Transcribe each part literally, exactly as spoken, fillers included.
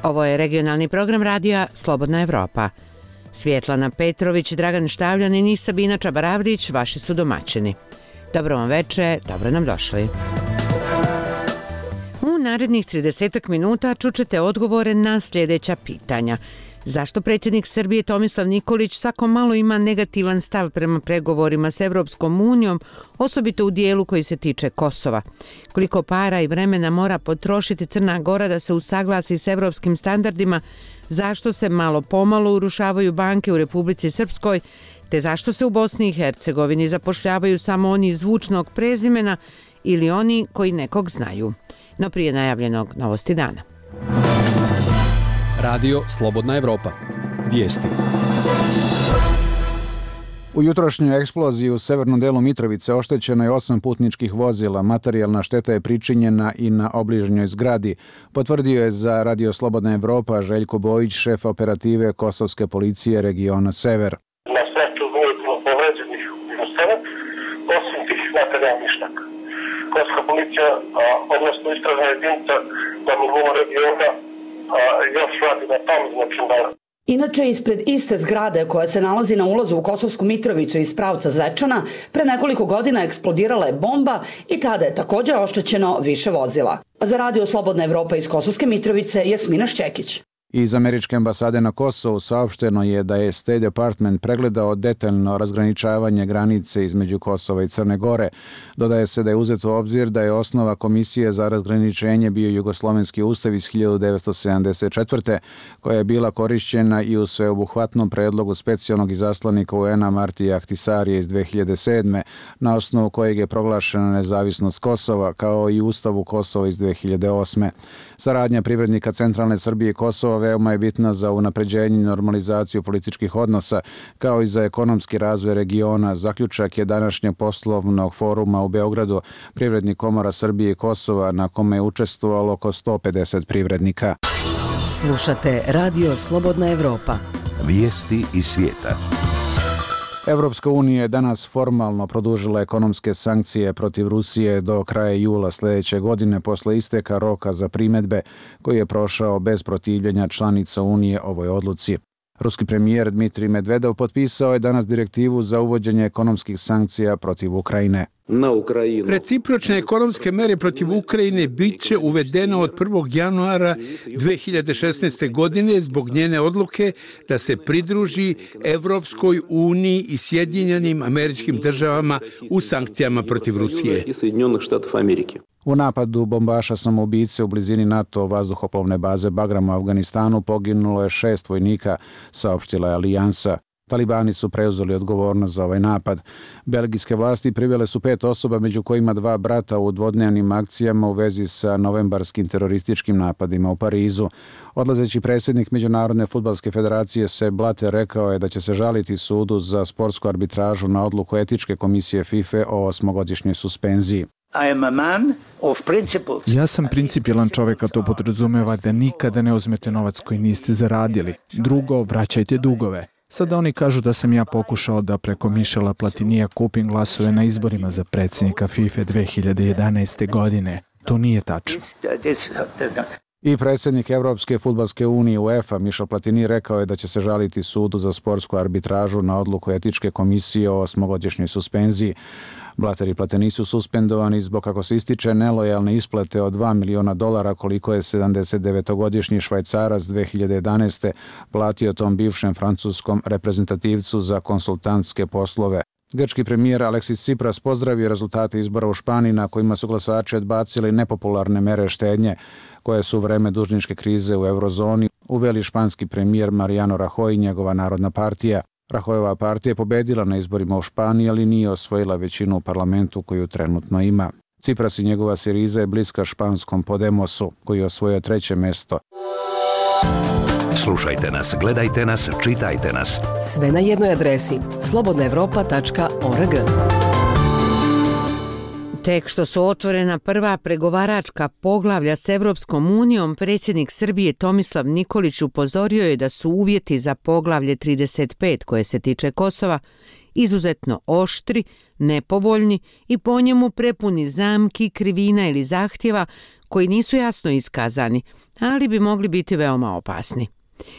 Ovo je regionalni program radija Slobodna Evropa. Svjetlana Petrović, Dragan Štavljanin i Sabina Čabaravdić vaši su domaćini. Dobro vam veče, dobro nam došli. U narednih tridesetak minuta čućete odgovore na sljedeća pitanja. Zašto predsjednik Srbije Tomislav Nikolić svako malo ima negativan stav prema pregovorima s Evropskom unijom, osobito u dijelu koji se tiče Kosova? Koliko para i vremena mora potrošiti Crna Gora da se usaglasi s evropskim standardima? Zašto se malo pomalo urušavaju banke u Republici Srpskoj? Te zašto se u Bosni i Hercegovini zapošljavaju samo oni zvučnog prezimena ili oni koji nekog znaju? No prije najavljenog novosti dana. Radio Slobodna Evropa. Vijesti. U jutrošnjoj eksploziji u severnom delu Mitrovice oštećeno je osam putničkih vozila. Materijalna šteta je pričinjena i na obližnjoj zgradi. Potvrdio je za Radio Slobodna Evropa Željko Bojić, šef operative Kosovske policije regiona Sever. Na sreću nije bilo povređenih u sebe, osim tih materijalnih šteta. Kosovska policija, odnosno istražna jedinica na nivou regiona, još radi na tom, znači da... Inače, ispred iste zgrade koja se nalazi na ulazu u Kosovsku Mitrovicu iz pravca Zvečana, pre nekoliko godina eksplodirala je bomba i tada je također oštećeno više vozila. Za Radio Slobodna Evropa iz Kosovske Mitrovice Jasmina Šćekić. Iz američke ambasade na Kosovu saopšteno je da je State Department pregledao detaljno razgraničavanje granice između Kosova i Crne Gore. Dodaje se da je uzeto u obzir da je osnova Komisije za razgraničenje bio Jugoslovenski ustav iz hiljadu devetsto sedamdeset četvrte. koja je bila korišćena i u sveobuhvatnom predlogu specijalnog izaslanika U N-a Martija Ahtisarija iz dve hiljade sedme. na osnovu kojeg je proglašena nezavisnost Kosova, kao i Ustavu Kosova iz dve hiljade osme. Saradnja privrednika Centralne Srbije i Kosova veoma je bitna za unapređenje i normalizaciju političkih odnosa, kao i za ekonomski razvoj regiona. Zaključak je današnjeg poslovnog foruma u Beogradu Privrednih komora Srbije i Kosova, na kome je učestvovalo oko sto pedeset privrednika. Slušate Radio Slobodna Evropa. Vijesti iz svijeta. Evropska unija je danas formalno produžila ekonomske sankcije protiv Rusije do kraja jula sljedeće godine posle isteka roka za primjedbe koji je prošao bez protivljenja članica Unije ovoj odluci. Ruski premijer Dmitrij Medvedev potpisao je danas direktivu za uvođenje ekonomskih sankcija protiv Ukrajine. Recipročne ekonomske mere protiv Ukrajine bit će uvedene od prvog januara dve hiljade šesnaeste. godine zbog njene odluke da se pridruži Evropskoj uniji i Sjedinjenim Američkim Državama u sankcijama protiv Rusije. U napadu bombaša samoubice u blizini NATO vazduhoplovne baze Bagram u Afganistanu poginulo je šest vojnika, saopštila je Alijansa. Talibani su preuzeli odgovornost za ovaj napad. Belgijske vlasti privele su pet osoba, među kojima dva brata, u dvodnevnim akcijama u vezi sa novembarskim terorističkim napadima u Parizu. Odlazeći predsjednik Međunarodne fudbalske federacije Sepp Blatter rekao je da će se žaliti sudu za sportsku arbitražu na odluku etičke komisije FIFA o osmogodišnjoj suspenziji. Ja sam principijelan čovjek, a to podrazumeva da nikada ne uzmete novac koji niste zaradili. Drugo, vraćajte dugove. Sada oni kažu da sam ja pokušao da preko Michela Platinija kupim glasove na izborima za predsjednika FIFA dve hiljade jedanaeste. godine. To nije tačno. I predsjednik Evropske fudbalske unije UEFA Michel Platini rekao je da će se žaliti sudu za sportsku arbitražu na odluku etičke komisije o osmogodišnjoj suspenziji. Blatter i Platini su suspendovani zbog, kako se ističe, nelojalne isplate od dva miliona dolara koliko je sedamdesetdevetogodišnji Švajcarac dve hiljade jedanaeste. platio tom bivšem francuskom reprezentativcu za konsultantske poslove. Grčki premijer Aleksis Tsipras pozdravio rezultate izbora u Španiji, na kojima su glasači odbacili nepopularne mere štednje koje su u vreme dužničke krize u eurozoni uveli španski premijer Mariano Rajoy i njegova Narodna partija. Rahojeva partija je pobedila na izborima u Španiji, ali nije osvojila većinu u parlamentu koju trenutno ima. Tsipras i njegova Siriza je bliska španskom Podemosu, koji je osvojio treće mesto. Slušajte nas, gledajte nas, čitajte nas. Sve na jednoj adresi slobodna evropa tačka org. Tek što su otvorena prva pregovaračka poglavlja s Evropskom unijom, predsjednik Srbije Tomislav Nikolić upozorio je da su uvjeti za poglavlje trideset pet koje se tiče Kosova izuzetno oštri, nepovoljni i po njemu prepuni zamki, krivina ili zahtjeva koji nisu jasno iskazani, ali bi mogli biti veoma opasni.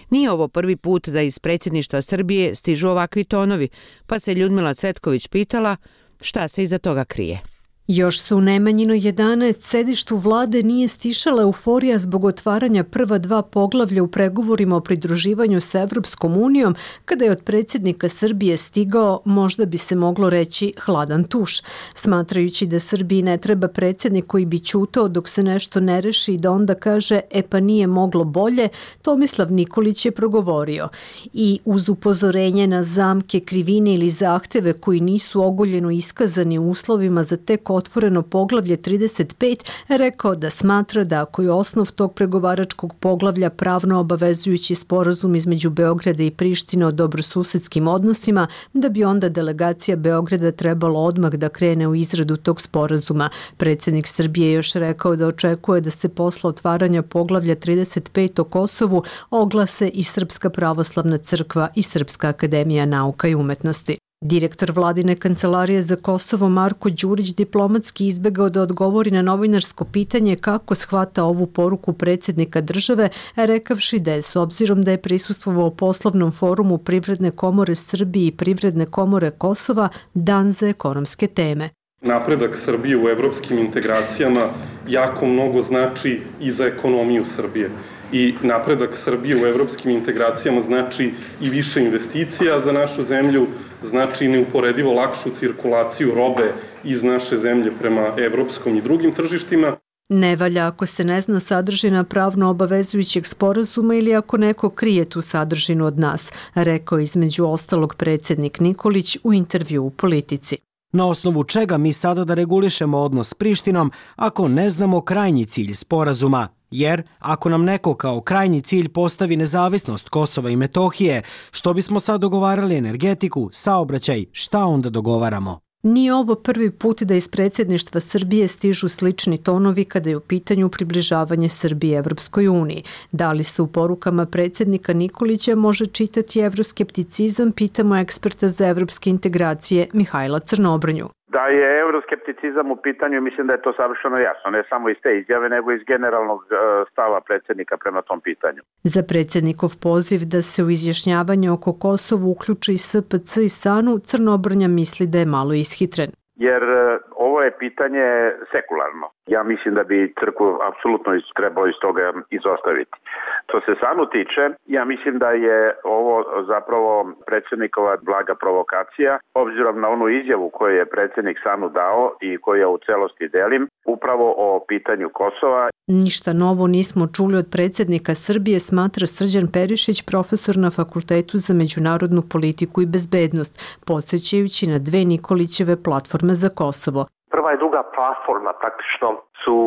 Nije ovo prvi put da iz predsjedništva Srbije stižu ovakvi tonovi, pa se Ljudmila Cvetković pitala šta se iza toga krije. Još se u Nemanjinoj jedanaest sedištu vlade nije stišala euforija zbog otvaranja prva dva poglavlja u pregovorima o pridruživanju sa Evropskom unijom, kada je od predsjednika Srbije stigao, možda bi se moglo reći, hladan tuš. Smatrajući da Srbiji ne treba predsjednik koji bi ćutao dok se nešto ne reši i da onda kaže e pa nije moglo bolje, Tomislav Nikolić je progovorio. I uz upozorenje na zamke, krivine ili zahteve koji nisu ogoljeno iskazani u uslovima za tek otvoreno poglavlje trideset pet, rekao da smatra da ako je osnov tog pregovaračkog poglavlja pravno obavezujući sporazum između Beograda i Prištine o dobrosusedskim odnosima, da bi onda delegacija Beograda trebalo odmah da krene u izradu tog sporazuma. Predsjednik Srbije je još rekao da očekuje da se posle otvaranja poglavlja trideset pet o Kosovu oglase i Srpska pravoslavna crkva i Srpska akademija nauka i umetnosti. Direktor vladine kancelarije za Kosovo Marko Đurić diplomatski izbegao da odgovori na novinarsko pitanje kako shvata ovu poruku predsjednika države, rekavši da je s obzirom da je prisustvovao poslovnom forumu Privredne komore Srbije i Privredne komore Kosova dan za ekonomske teme. Napredak Srbije u evropskim integracijama jako mnogo znači i za ekonomiju Srbije. I napredak Srbije u evropskim integracijama znači i više investicija za našu zemlju, znači neuporedivo lakšu cirkulaciju robe iz naše zemlje prema evropskom i drugim tržištima. Ne valja ako se ne zna sadržina pravno obavezujućeg sporazuma ili ako neko krije tu sadržinu od nas, rekao između ostalog predsjednik Nikolić u intervju u Politici. Na osnovu čega mi sada da regulišemo odnos s Prištinom ako ne znamo krajnji cilj sporazuma? Jer ako nam neko kao krajnji cilj postavi nezavisnost Kosova i Metohije, što bismo sad dogovarali energetiku, saobraćaj, šta onda dogovaramo? Nije ovo prvi put da iz predsjedništva Srbije stižu slični tonovi kada je u pitanju približavanje Srbije Evropskoj uniji. Da li se u porukama predsjednika Nikolića može čitati evroskepticizam, pitamo eksperta za evropske integracije Mihajla Crnobrnju. Da je euroskepticizam u pitanju, mislim da je to savršeno jasno, ne samo iz te izjave, nego iz generalnog stava predsjednika prema tom pitanju. Za predsjednikov poziv da se u izjašnjavanje oko Kosovu uključi i S P C i SANU, Crnobrnja misli da je malo ishitren. Jer ovo je pitanje sekularno. Ja mislim da bi crkvu apsolutno trebalo iz toga izostaviti. Što se SANU tiče, ja mislim da je ovo zapravo predsjednikova blaga provokacija, obzirom na onu izjavu koju je predsjednik SANU dao i koju ja u celosti delim, upravo o pitanju Kosova. Ništa novo nismo čuli od predsjednika Srbije, smatra Srđan Perišić, profesor na Fakultetu za međunarodnu politiku i bezbednost, podsjećajući na dve Nikolićeve platforme za Kosovo. Prva i druga platforma praktično su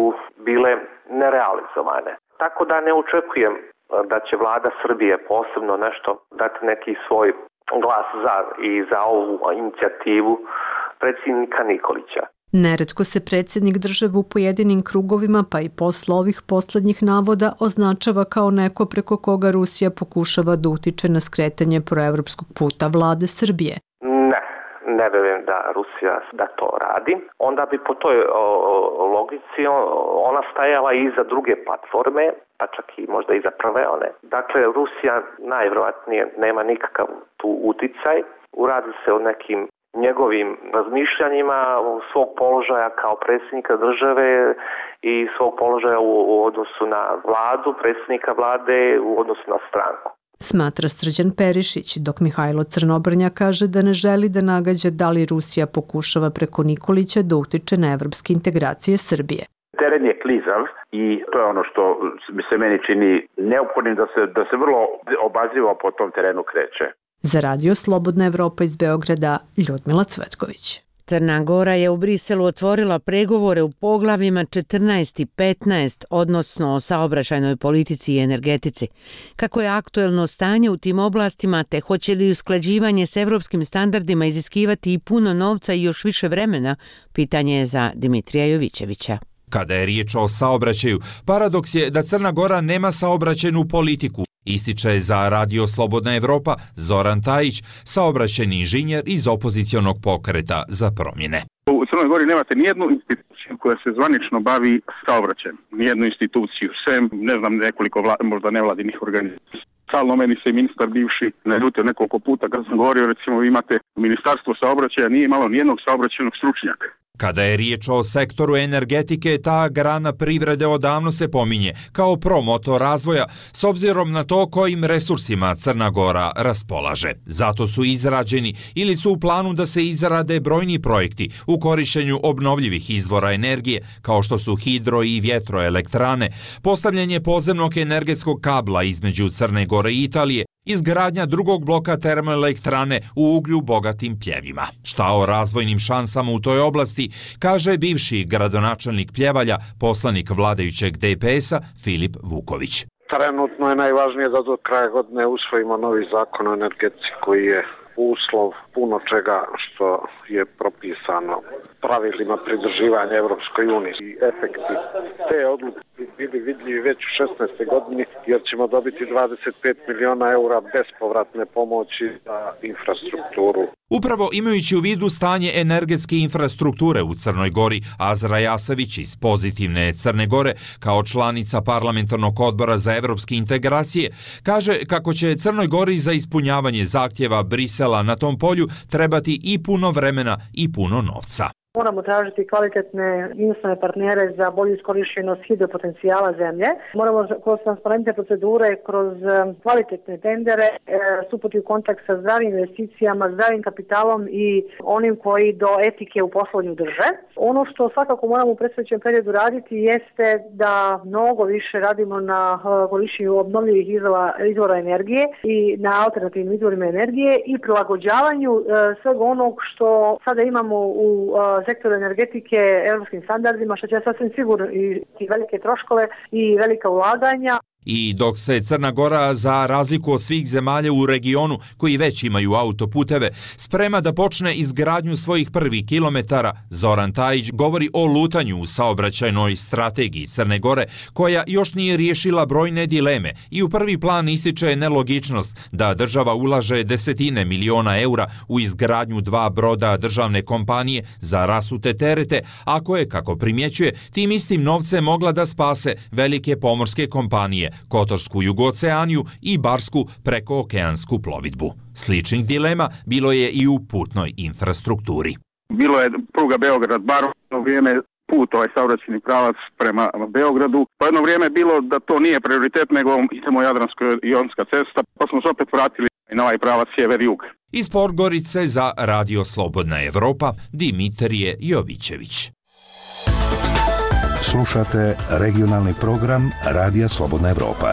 bile nerealizovane. Tako da ne očekujem da će vlada Srbije posebno nešto dati neki svoj glas za i za ovu inicijativu predsjednika Nikolića. Neretko se predsjednik države u pojedinim krugovima, pa i posle ovih posljednjih navoda, označava kao neko preko koga Rusija pokušava da utiče na skretanje proevropskog puta vlade Srbije. Ne, ne vjerujem da Rusija da to radi. Onda bi po toj o, logici ona stajala i za druge platforme, pa čak i možda i za prve one. Dakle, Rusija najvjerojatnije nema nikakav tu uticaj. Uradi se o nekim njegovim razmišljanjima svog položaja kao predsjednika države i svog položaja u, u odnosu na vladu, predsjednika vlade u odnosu na stranku. Smatra Srđan Perišić, dok Mihajlo Crnobrnja kaže da ne želi da nagađa da li Rusija pokušava preko Nikolića da utiče na evropske integracije Srbije. Teren je klizav i to je ono što se meni čini neophodnim da se, da se vrlo obazrivo po tom terenu kreće. Za radio Slobodna Evropa iz Beograda, Ljudmila Cvetković. Crna Gora je u Briselu otvorila pregovore u poglavljima četrnaest i petnaest, odnosno o saobraćajnoj politici i energetici. Kako je aktuelno stanje u tim oblastima, te hoće li usklađivanje s evropskim standardima iziskivati i puno novca i još više vremena, pitanje je za Dimitrija Jovićevića. Kada je riječ o saobraćaju, paradoks je da Crna Gora nema saobraćajnu politiku, ističe za radio Slobodna Evropa Zoran Tajić, saobraćajni inženjer iz opozicionog pokreta za promjene. U Crnoj Gori nemate nijednu instituciju koja se zvanično bavi saobraćajem. Nijednu instituciju, sem, ne znam, nekoliko vla, možda nevladinih organizacija. Stalno meni se ministar bivši naljutio nekoliko puta kad sam govorio, recimo vi imate ministarstvo saobraćaja, nije imalo nijednog saobraćajnog stručnjaka. Kada je riječ o sektoru energetike, ta grana privrede odavno se pominje kao promotor razvoja, s obzirom na to kojim resursima Crna Gora raspolaže. Zato su izrađeni ili su u planu da se izrade brojni projekti u korištenju obnovljivih izvora energije, kao što su hidro i vjetroelektrane, postavljanje podzemnog energetskog kabla između Crne Gore i Italije, izgradnja drugog bloka termoelektrane u uglju bogatim pljevima. Šta o razvojnim šansama u toj oblasti kaže bivši gradonačelnik Pljevalja, poslanik vladajućeg D P S-a Filip Vuković. Trenutno je najvažnije da do kraja godine usvojimo novi zakon o energetici koji je uslov puno čega što je propisano pravilima pridruživanja Evropskoj uniji. I efekti te odluke bili vidljivi već u šesnaestoj godini jer ćemo dobiti dvadeset pet miliona eura bespovratne pomoći za infrastrukturu. Upravo imajući u vidu stanje energetske infrastrukture u Crnoj Gori, Azra Jasavić iz Pozitivne Crne Gore, kao članica parlamentarnog odbora za evropske integracije, kaže kako će Crnoj Gori za ispunjavanje zahtjeva Brisela na tom polju trebati i puno vremena i puno novca. Moramo tražiti kvalitetne inostrane partnere za bolju iskorištenost hidropotencijala zemlje. Moramo kroz transparentne procedure, kroz kvalitetne tendere stupiti u kontakt sa zdravim investicijama, zdravim kapitalom i onim koji do etike u poslovanju drže. Ono što svakako moramo u predstojećem periodu raditi jeste da mnogo više radimo na korištenju obnovljivih izvora, izvora energije i na alternativnim izvorima energije i prilagođavanju svega onog što sada imamo u sektoru energetike europskim standardima, što će sasvim sigurno i velike troškove i velika ulaganja. I dok se Crna Gora, za razliku od svih zemalja u regionu koji već imaju autoputeve, sprema da počne izgradnju svojih prvih kilometara, Zoran Tajić govori o lutanju u saobraćajnoj strategiji Crne Gore, koja još nije riješila brojne dileme i u prvi plan ističe nelogičnost da država ulaže desetine miliona eura u izgradnju dva broda državne kompanije za rasute terete, ako je, kako primjećuje, tim istim novcem mogla da spase velike pomorske kompanije, Kotorsku Jugoceaniju i Barsku prekookeansku plovidbu. Sličnih dilema bilo je i u putnoj infrastrukturi. Bilo je pruga Beograd-Bar, u vrijeme put, ovaj saobraćajni pravac prema Beogradu. Po jedno vrijeme je bilo da to nije prioritet, nego idemo Jadransko-jonska cesta, pa smo se opet vratili na ovaj pravac sjever-jug. Iz Podgorice za Radio Slobodna Evropa, Dimitrije Jovićević. Slušate regionalni program Radija Slobodna Evropa.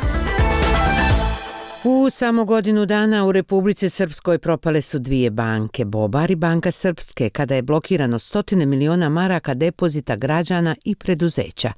U samo godinu dana u Republici Srpskoj propale su dvije banke, Bobar i Banka Srpske, kada je blokirano stotine miliona maraka depozita građana i preduzeća.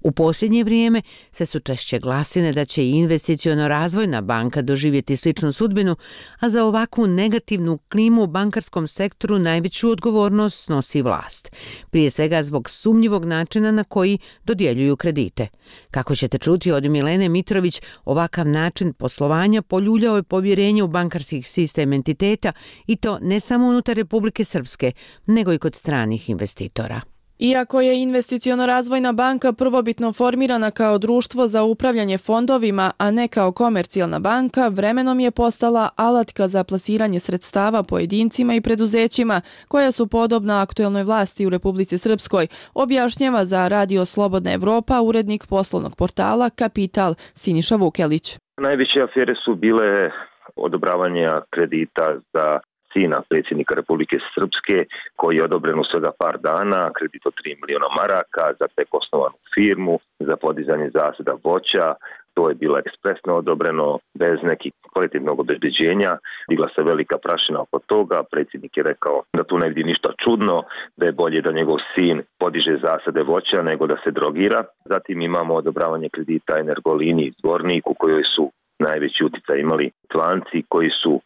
U posljednje vrijeme se su češće glasine da će i investiciono razvojna banka doživjeti sličnu sudbinu, a za ovakvu negativnu klimu u bankarskom sektoru najveću odgovornost snosi vlast. Prije svega zbog sumnjivog načina na koji dodjeljuju kredite. Kako ćete čuti od Milene Mitrović, ovakav način poslovanja poljuljao je povjerenje u bankarski sistem entiteta i to ne samo unutar Republike Srpske, nego i kod stranih investitora. Iako je investiciono-razvojna banka prvobitno formirana kao društvo za upravljanje fondovima, a ne kao komercijalna banka, vremenom je postala alatka za plasiranje sredstava pojedincima i preduzećima koja su podobna aktuelnoj vlasti u Republici Srpskoj, objašnjava za Radio Slobodna Evropa urednik poslovnog portala Kapital Siniša Vukelić. Najveće afere su bile odobravanja kredita za sina predsjednika Republike Srpske, koji je odobren u svega par dana, kredit od tri miliona maraka za tek osnovanu firmu, za podizanje zasada voća. To je bilo ekspresno odobreno, bez nekih kvalitetnog obezbeđenja. Digla se velika prašina oko toga. Predsjednik je rekao da tu ne vidi ništa čudno, da je bolje da njegov sin podiže zasade voća nego da se drogira. Zatim imamo odobravanje kredita Energolini iz Zvorniku, u kojoj su najveći utjecaj imali tlanci koji su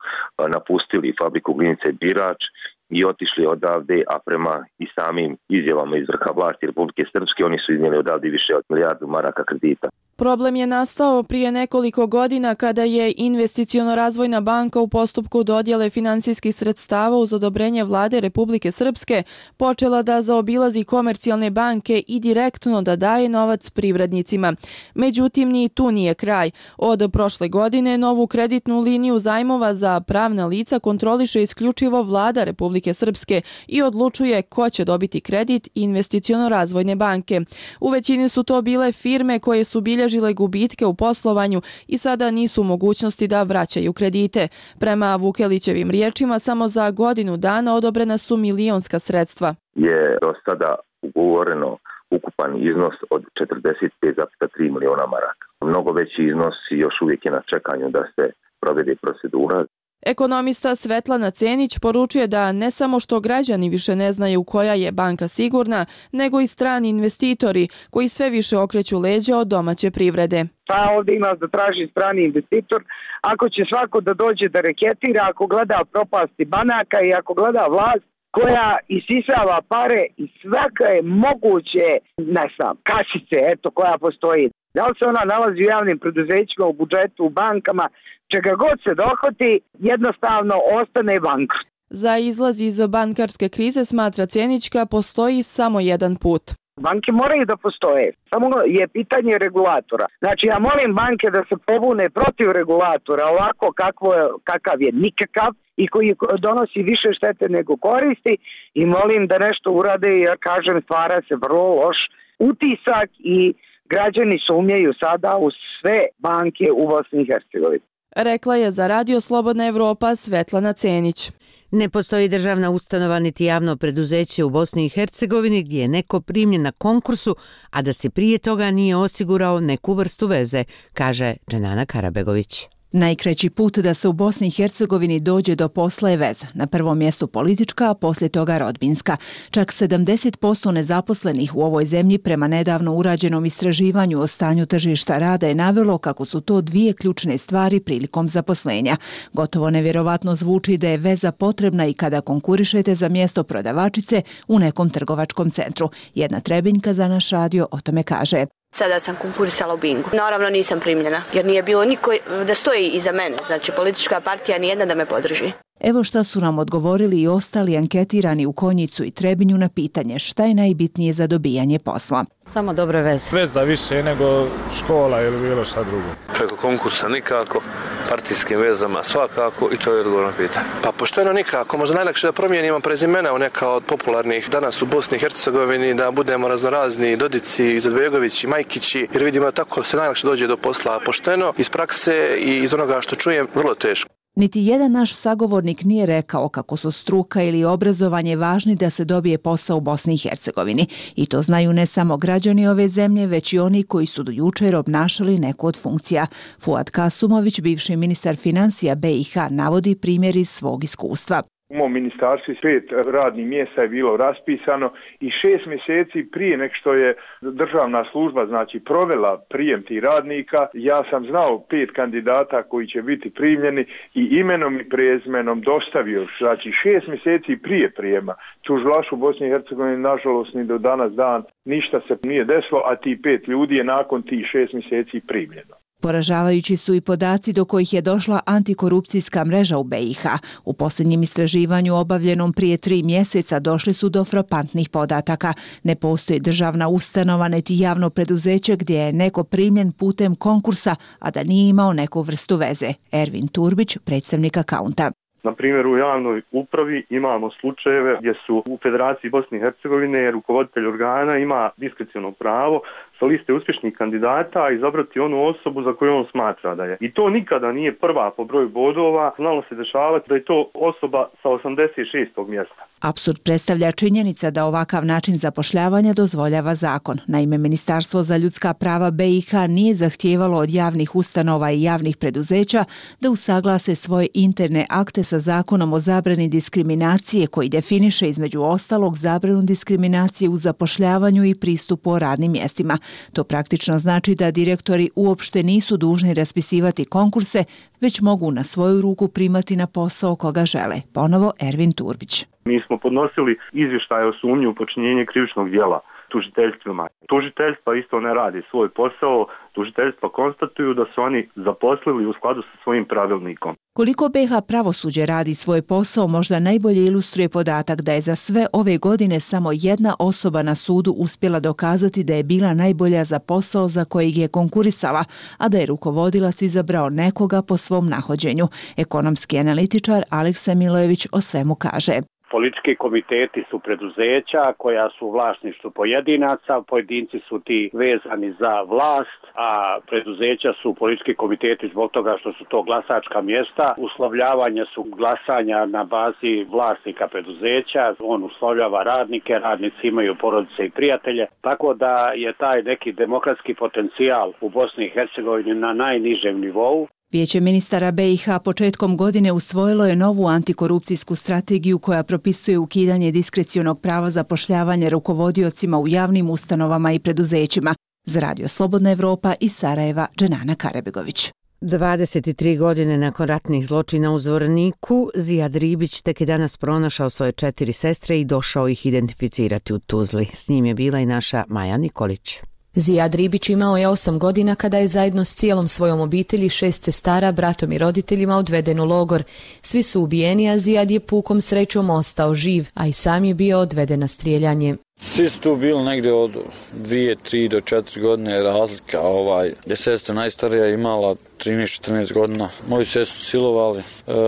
napustili fabriku Glinice Birač i otišli odavde, a prema i samim izjavama iz vrha vlasti Republike Srpske oni su iznijeli odavde više od milijardu maraka kredita. Problem je nastao prije nekoliko godina kada je Investiciono-razvojna banka u postupku dodjele finansijskih sredstava uz odobrenje vlade Republike Srpske počela da zaobilazi komercijalne banke i direktno da daje novac privrednicima. Međutim, ni tu nije kraj. Od prošle godine novu kreditnu liniju zajmova za pravna lica kontroliše isključivo vlada Republike Srpske i odlučuje ko će dobiti kredit Investiciono-razvojne banke. U većini su to bile firme koje su bilježile gubitke u poslovanju i sada nisu u mogućnosti da vraćaju kredite. Prema Vukelićevim riječima, samo za godinu dana odobrena su milionska sredstva. Je do sada ugovoreno ukupan iznos od četrdeset pet zarez tri miliona maraka. Mnogo veći iznos još uvijek je na čekanju da se provede procedura. Ekonomista Svetlana Cenić poručuje da ne samo što građani više ne znaju koja je banka sigurna, nego i strani investitori koji sve više okreću leđa od domaće privrede. Pa ovdje ima da traži strani investitor, ako će svako da dođe da reketira, ako gleda propasti banaka i ako gleda vlast koja isisava pare i svaka je moguće, ne znam, kasice, eto, koja postoji. Da li se ona nalazi u javnim preduzećima, u budžetu, u bankama, čega god se dohvati, jednostavno ostane bankrot. Za izlaz iz bankarske krize, smatra Cenićka, postoji samo jedan put. Banke moraju da postoje, samo je pitanje regulatora. Znači, ja molim banke da se pobune protiv regulatora, ovako kakvo, kakav je nikakav i koji donosi više štete nego koristi, i molim da nešto urade, jer kažem, stvara se vrlo loš utisak i građani sumnjaju sada u sve banke u Bosni i Hercegovini. Rekla je za Radio Slobodna Evropa Svetlana Cenić. Ne postoji državna ustanova niti javno preduzeće u Bosni i Hercegovini gdje je neko primljen na konkursu, a da se prije toga nije osigurao neku vrstu veze, kaže Dženana Karabegović. Najkraći put da se u Bosni i Hercegovini dođe do posla je veza. Na prvom mjestu politička, a poslije toga rodbinska. Čak sedamdeset posto nezaposlenih u ovoj zemlji prema nedavno urađenom istraživanju o stanju tržišta rada je navelo kako su to dvije ključne stvari prilikom zaposlenja. Gotovo nevjerovatno zvuči da je veza potrebna i kada konkurišete za mjesto prodavačice u nekom trgovačkom centru. Jedna Trebinjka za naš radio o tome kaže. Sada sam konkurisala u Bingu. Naravno nisam primljena, jer nije bilo niko da stoji iza mene. Znači, politička partija nijedna da me podrži. Evo šta su nam odgovorili i ostali anketirani u Konjicu i Trebinju na pitanje šta je najbitnije za dobijanje posla. Samo dobre veze. Veza više nego škola ili bilo šta drugo. Preko konkursa nikako, partijskim vezama svakako, i to je odgovor na pitanje. Pa pošteno nikako, možda najlakše da promijenimo prezimena u neka od popularnih danas u Bosni i Hercegovini, da budemo raznorazni Dodici, Izetbegovići, Majkići, jer vidimo da tako se najlakše dođe do posla. Pošteno, iz prakse i iz onoga što čujem, vrlo teško. Niti jedan naš sagovornik nije rekao kako su struka ili obrazovanje važni da se dobije posao u Bosni i Hercegovini. I to znaju ne samo građani ove zemlje, već i oni koji su do jučer obnašali neku od funkcija. Fuad Kasumović, bivši ministar financija B i H, navodi primjer iz svog iskustva. U mom ministarstvu pet radnih mjesta je bilo raspisano i šest mjeseci prije nek što je državna služba znači provela prijem tih radnika, ja sam znao pet kandidata koji će biti primljeni i imenom i prezimenom dostavio, znači šest mjeseci prije prijema. Tužilaštvo u Bosni i Hercegovini nažalost ni do danas dan ništa se nije desilo, a ti pet ljudi je nakon tih šest mjeseci primljeno. Poražavajući su i podaci do kojih je došla antikorupcijska mreža u B i H. U posljednjem istraživanju obavljenom prije tri mjeseca došli su do frapantnih podataka. Ne postoji državna ustanova niti javno preduzeće gdje je neko primljen putem konkursa, a da nije imao neku vrstu veze. Ervin Turbić, predstavnik Akaunta. Na primjer, u javnoj upravi imamo slučajeve gdje su u Federaciji Bosne i Hercegovine rukovoditelj organa ima diskreciono pravo sa liste uspješnih kandidata izabrati onu osobu za koju on smatra da je. I to nikada nije prva po broju bodova, znalo se dešavati da je to osoba sa osamdeset šestog mjesta. Apsurd predstavlja činjenica da ovakav način zapošljavanja dozvoljava zakon. Naime, Ministarstvo za ljudska prava B i H nije zahtijevalo od javnih ustanova i javnih preduzeća da usaglase svoje interne akte sa zakonom o zabrani diskriminacije koji definiše između ostalog zabranu diskriminacije u zapošljavanju i pristupu o radnim mjestima. To praktično znači da direktori uopšte nisu dužni raspisivati konkurse, već mogu na svoju ruku primati na posao koga žele. Ponovo Ervin Turbić. Mi smo podnosili izvještaje o sumnji u počinjenje krivičnog djela. tužiteljstvima. Tužiteljstva isto ne radi svoj posao, tužiteljstva konstatuju da su oni zaposlili u skladu sa svojim pravilnikom. Koliko B H pravosuđe radi svoj posao možda najbolje ilustruje podatak da je za sve ove godine samo jedna osoba na sudu uspjela dokazati da je bila najbolja za posao za kojeg je konkurisala, a da je rukovodilac izabrao nekoga po svom nahođenju. Ekonomski analitičar Aleksa Milojević o svemu kaže. Politički komiteti su preduzeća koja su u vlasništvu pojedinaca, pojedinci su ti vezani za vlast, a preduzeća su politički komiteti zbog toga što su to glasačka mjesta. Uslovljavanje su glasanja na bazi vlasnika preduzeća, on uslovljava radnike, radnici imaju porodice i prijatelje, tako da je taj neki demokratski potencijal u Bosni i Hercegovini na najnižem nivou. Vijeće ministara B i H početkom godine usvojilo je novu antikorupcijsku strategiju koja propisuje ukidanje diskrecionog prava zapošljavanja rukovodiocima u javnim ustanovama i preduzećima. Za Radio Slobodna Evropa iz Sarajeva, Dženana Karebegović. dvadeset tri godine nakon ratnih zločina u Zvorniku, Zijad Ribić tek je danas pronašao svoje četiri sestre i došao ih identificirati u Tuzli. S njim je bila i naša Maja Nikolić. Zijad Ribić imao je osam godina kada je zajedno s cijelom svojom obitelji, šest sestara, bratom i roditeljima odveden u logor. Svi su ubijeni, a Zijad je pukom srećom ostao živ, a i sam je bio odveden na strijeljanje. Svi su tu bili negdje od dvije, tri do četiri godine razlika. Ovaj, je sestra najstarija imala trinaest četrnaest godina. Moju sestru silovali, e,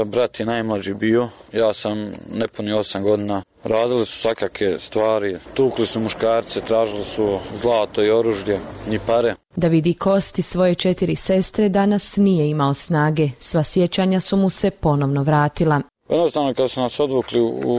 brat je najmlađi bio, ja sam nepuni osam godina. Radili su svakake stvari, tukli su muškarce, tražili su zlato i oružje i pare. Da vidi kosti svoje četiri sestre, danas nije imao snage. Sva sjećanja su mu se ponovno vratila. Jednostavno kad su nas odvukli u, u,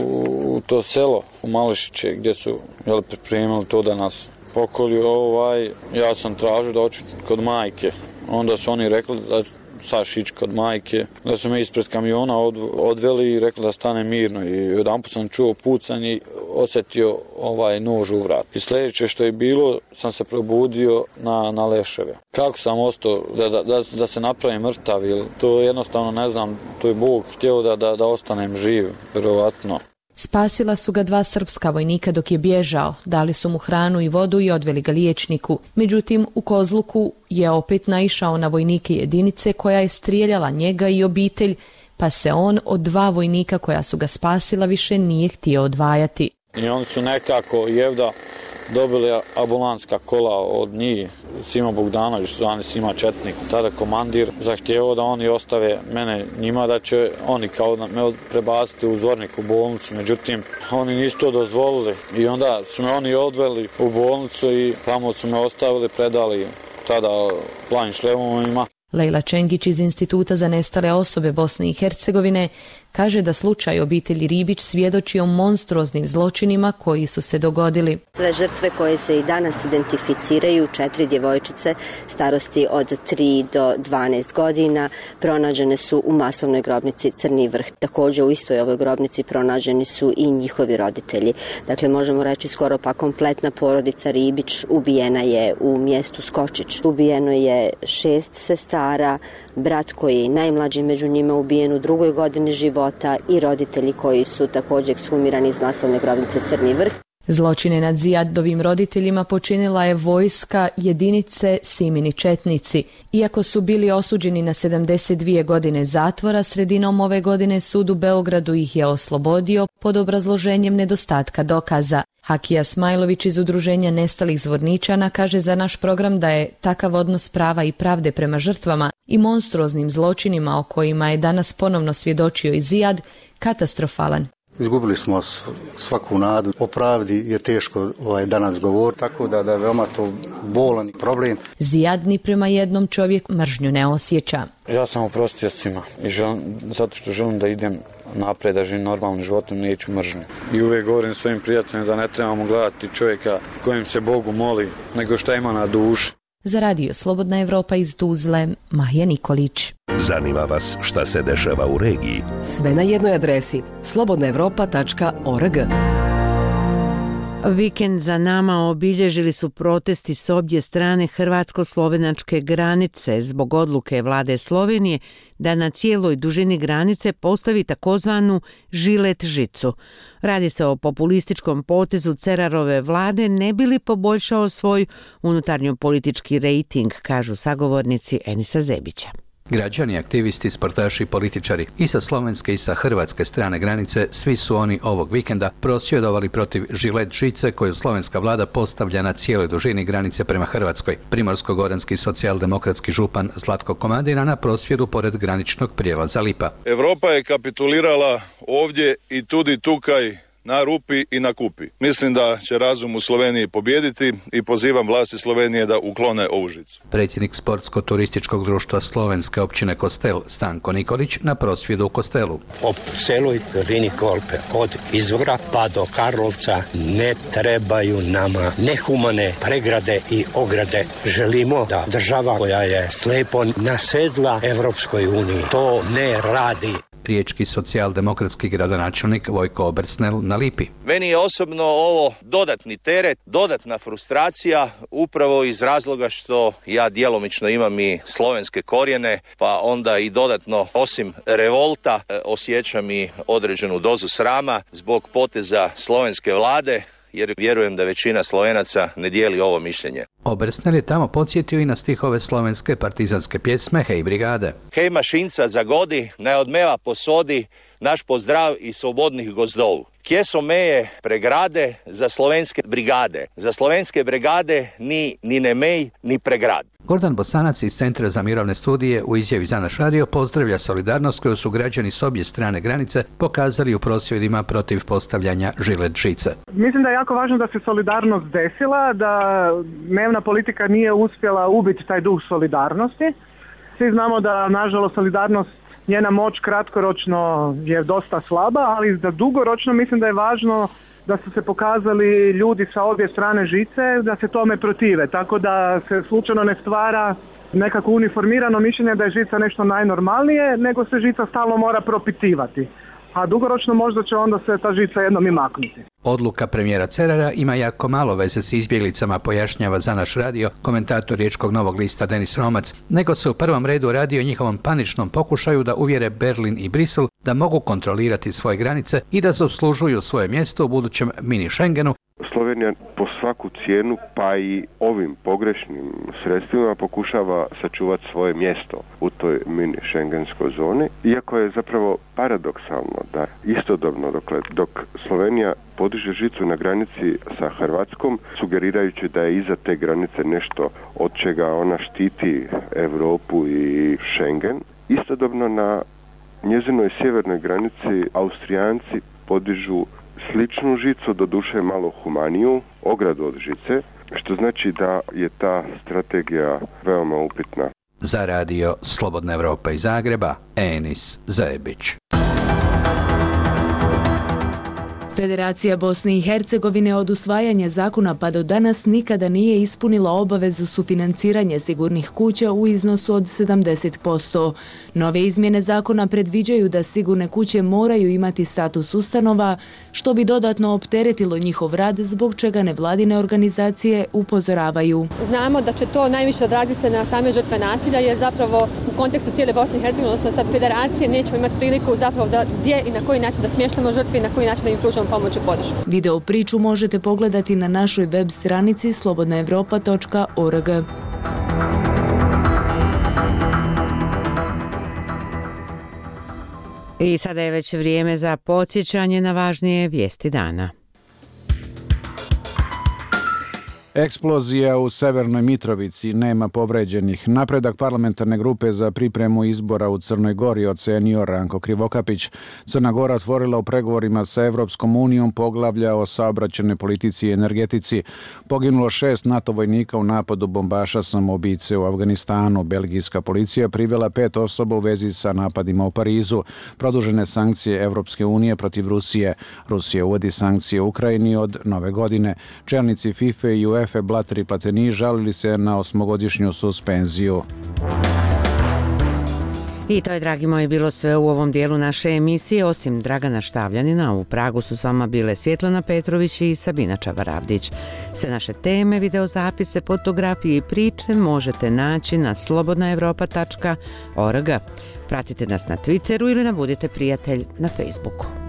u to selo, u Mališiće, gdje su jel, pripremili to da nas pokolju, ovaj, ja sam tražio da oču kod majke. Onda su oni rekli da saš ići kod majke, da su me ispred kamiona od, odveli i rekli da stane mirno. I jedanput sam čuo pucanje i osjetio ovaj nož u vrat. I sljedeće što je bilo, sam se probudio na, na leševe. Kako sam ostao da, da, da, da se napravim mrtav, to jednostavno ne znam, to je Bog htio da, da, da ostanem živ, vjerovatno. Spasila su ga dva srpska vojnika dok je bježao, dali su mu hranu i vodu i odveli ga liječniku. Međutim, u Kozluku je opet naišao na vojnike jedinice koja je strijeljala njega i obitelj, pa se on od dva vojnika koja su ga spasila više nije htio odvajati. I oni su nekako jevda dobili ambulanska kola od njih, Sima Bogdanović, zvani Sima Četnik, tada komandir, zahtjevao da oni ostave mene njima, da će oni kao me prebaciti u Zvornik u bolnicu, međutim oni nisu to dozvolili i onda su me oni odveli u bolnicu i tamo su me ostavili, predali tada Planim Šlemovima. Lejla Čengić iz Instituta za nestale osobe Bosne i Hercegovine kaže da slučaj obitelji Ribić svjedoči o monstruoznim zločinima koji su se dogodili. Sve žrtve koje se i danas identificiraju, četiri djevojčice starosti od tri do dvanaest godina, pronađene su u masovnoj grobnici Crni Vrh. Također u istoj ovoj grobnici pronađeni su i njihovi roditelji. Dakle, možemo reći skoro pa kompletna porodica Ribić ubijena je u mjestu Skočić. Ubijeno je šest sestara, brat koji je najmlađi među njima ubijen u drugoj godini života i roditelji koji su također ekshumirani iz masovne grobnice Crni Vrh. Zločine nad Zijadovim roditeljima počinila je vojska jedinice Simini Četnici. Iako su bili osuđeni na sedamdeset dvije godine zatvora, sredinom ove godine sud u Beogradu ih je oslobodio pod obrazloženjem nedostatka dokaza. Hakija Smajlović iz Udruženja nestalih Zvorničana kaže za naš program da je takav odnos prava i pravde prema žrtvama i monstruoznim zločinima o kojima je danas ponovno svjedočio i Zijad katastrofalan. Izgubili smo svaku nadu. O pravdi je teško ovaj, danas govoriti, tako da, da je veoma to bolan problem. Zijad ni prema jednom čovjeku mržnju ne osjeća. Ja sam oprostio svima i želim, zato što želim da idem napred, da živim normalnim životom, neću mržnju. I uvijek govorim svojim prijateljima da ne trebamo gledati čovjeka kojem se Bogu moli, nego šta ima na duši. Za Radio Slobodna Evropa iz Tuzle, Maja Nikolić. Zanima vas šta se dešava u regiji? Sve na jednoj adresi slobodna evropa tačka org. Vikend za nama obilježili su protesti s obje strane hrvatsko-slovenačke granice zbog odluke vlade Slovenije da na cijeloj dužini granice postavi takozvanu žilet žicu. Radi se o populističkom potezu Cerarove vlade ne bi li poboljšao svoj unutarnjo-politički rejting, kažu sagovornici Enisa Zebića. Građani, aktivisti, sportaši i političari i sa slovenske i sa hrvatske strane granice, svi su oni ovog vikenda prosvjedovali protiv žilet žice koju slovenska vlada postavlja na cijeloj dužini granice prema Hrvatskoj. Primorsko-goranski socijaldemokratski župan Zlatko Komadina na prosvjedu pored graničnog prijelaza Lipa. Europa je kapitulirala ovdje i tudi tukaj na rupi i na kupi. Mislim da će razum u Sloveniji pobijediti i pozivam vlasti Slovenije da uklone ovu žicu. Predsjednik sportsko-turističkog društva slovenske općine Kostel Stanko Nikolić na prosvjedu u Kostelu. Po celoj liniji Kolpe od izvora pa do Karlovca ne trebaju nama nehumane pregrade i ograde. Želimo da država koja je slepo nasedla Evropskoj uniji to ne radi. Riječki socijaldemokratski gradonačelnik Vojko Obersnel na Lipi. Meni je osobno ovo dodatni teret, dodatna frustracija, upravo iz razloga što ja djelomično imam i slovenske korijene, pa onda i dodatno, osim revolta, osjećam i određenu dozu srama zbog poteza slovenske vlade, jer vjerujem da većina Slovenaca ne dijeli ovo mišljenje. Obersnel je tamo podsjetio i na stihove slovenske partizanske pjesme Hej brigade. Hej mašinca zagodi, naj odmeva posodi naš pozdrav iz slobodnih gozdov. Kje so meje pregrade za slovenske brigade? Za slovenske brigade ni, ni ne mej, ni pregrad. Gordan Bosanac iz Centra za mirovne studije u izjavi za naš radio pozdravlja solidarnost koju su građani s obje strane granice pokazali u prosvjedima protiv postavljanja žilet žice. Mislim da je jako važno da se solidarnost desila, da dnevna politika nije uspjela ubiti taj duh solidarnosti. Svi znamo da, nažalost, solidarnost, njena moć kratkoročno je dosta slaba, ali za dugoročno mislim da je važno da su se pokazali ljudi sa obje strane žice, da se tome protive, tako da se slučajno ne stvara nekako uniformirano mišljenje da je žica nešto najnormalnije, nego se žica stalno mora propitivati. A dugoročno možda će onda se ta žica jednom i maknuti. Odluka premijera Cerara ima jako malo veze s izbjeglicama, pojašnjava za naš radio komentator Riječkog Novog lista Denis Romac, nego se u prvom redu radi o njihovom paničnom pokušaju da uvjere Berlin i Brisel da mogu kontrolirati svoje granice i da zaslužuju svoje mjesto u budućem mini Schengenu. Slovenija po svaku cijenu, pa i ovim pogrešnim sredstvima, pokušava sačuvati svoje mjesto u toj mini šengenskoj zoni, iako je zapravo paradoksalno da istodobno dokle, dok Slovenija podiže žicu na granici sa Hrvatskom, sugerirajući da je iza te granice nešto od čega ona štiti Europu i Schengen, istodobno na njezinoj sjevernoj granici Austrijanci podižu sličnu žicu, doduše malo humaniju, ogradu od žice, što znači da je ta strategija veoma upitna. Za radio Slobodna Evropa iz Zagreba, Enis Zebić. Federacija Bosne i Hercegovine od usvajanja zakona pa do danas nikada nije ispunila obavezu sufinanciranja sigurnih kuća u iznosu od sedamdeset posto. Nove izmjene zakona predviđaju da sigurne kuće moraju imati status ustanova, što bi dodatno opteretilo njihov rad, zbog čega nevladine organizacije upozoravaju. Znamo da će to najviše odraziti se na same žrtve nasilja, jer zapravo u kontekstu cijele Bosne i Hercegovine, odnosno sad federacije, nećemo imati priliku zapravo da gdje i na koji način da smještamo žrtve i na koji način da im pružamo pomoć i podršku. Video priču možete pogledati na našoj web stranici slobodna evropa točka org. I sada je već vrijeme za podsjećanje na važnije vijesti dana. Eksplozija u Severnoj Mitrovici, nema povređenih. Napredak parlamentarne grupe za pripremu izbora u Crnoj Gori ocenio Ranko Krivokapić. Crna Gora otvorila u pregovorima sa Evropskom unijom poglavlja o saobraćajnoj politici i energetici. Poginulo šest NATO vojnika u napadu bombaša samoubice u Afganistanu. Belgijska policija privela pet osoba u vezi sa napadima u Parizu. Produžene sankcije Evropske unije protiv Rusije. Rusija uvodi sankcije Ukrajini od nove godine. Čelnici FIFA i UEFA Blatter i Platini žalili se na osmogodišnju suspenziju. I to je, dragi moji, bilo sve u ovom dijelu naše emisije. Osim Dragana Štavljanina, u Pragu su s vama bile Svjetlana Petrović i Sabina Čavaravdić. Sve naše teme, videozapise, fotografije i priče možete naći na slobodna europa tačka org. Pratite nas na Twitteru ili nam budite prijatelj na Facebooku.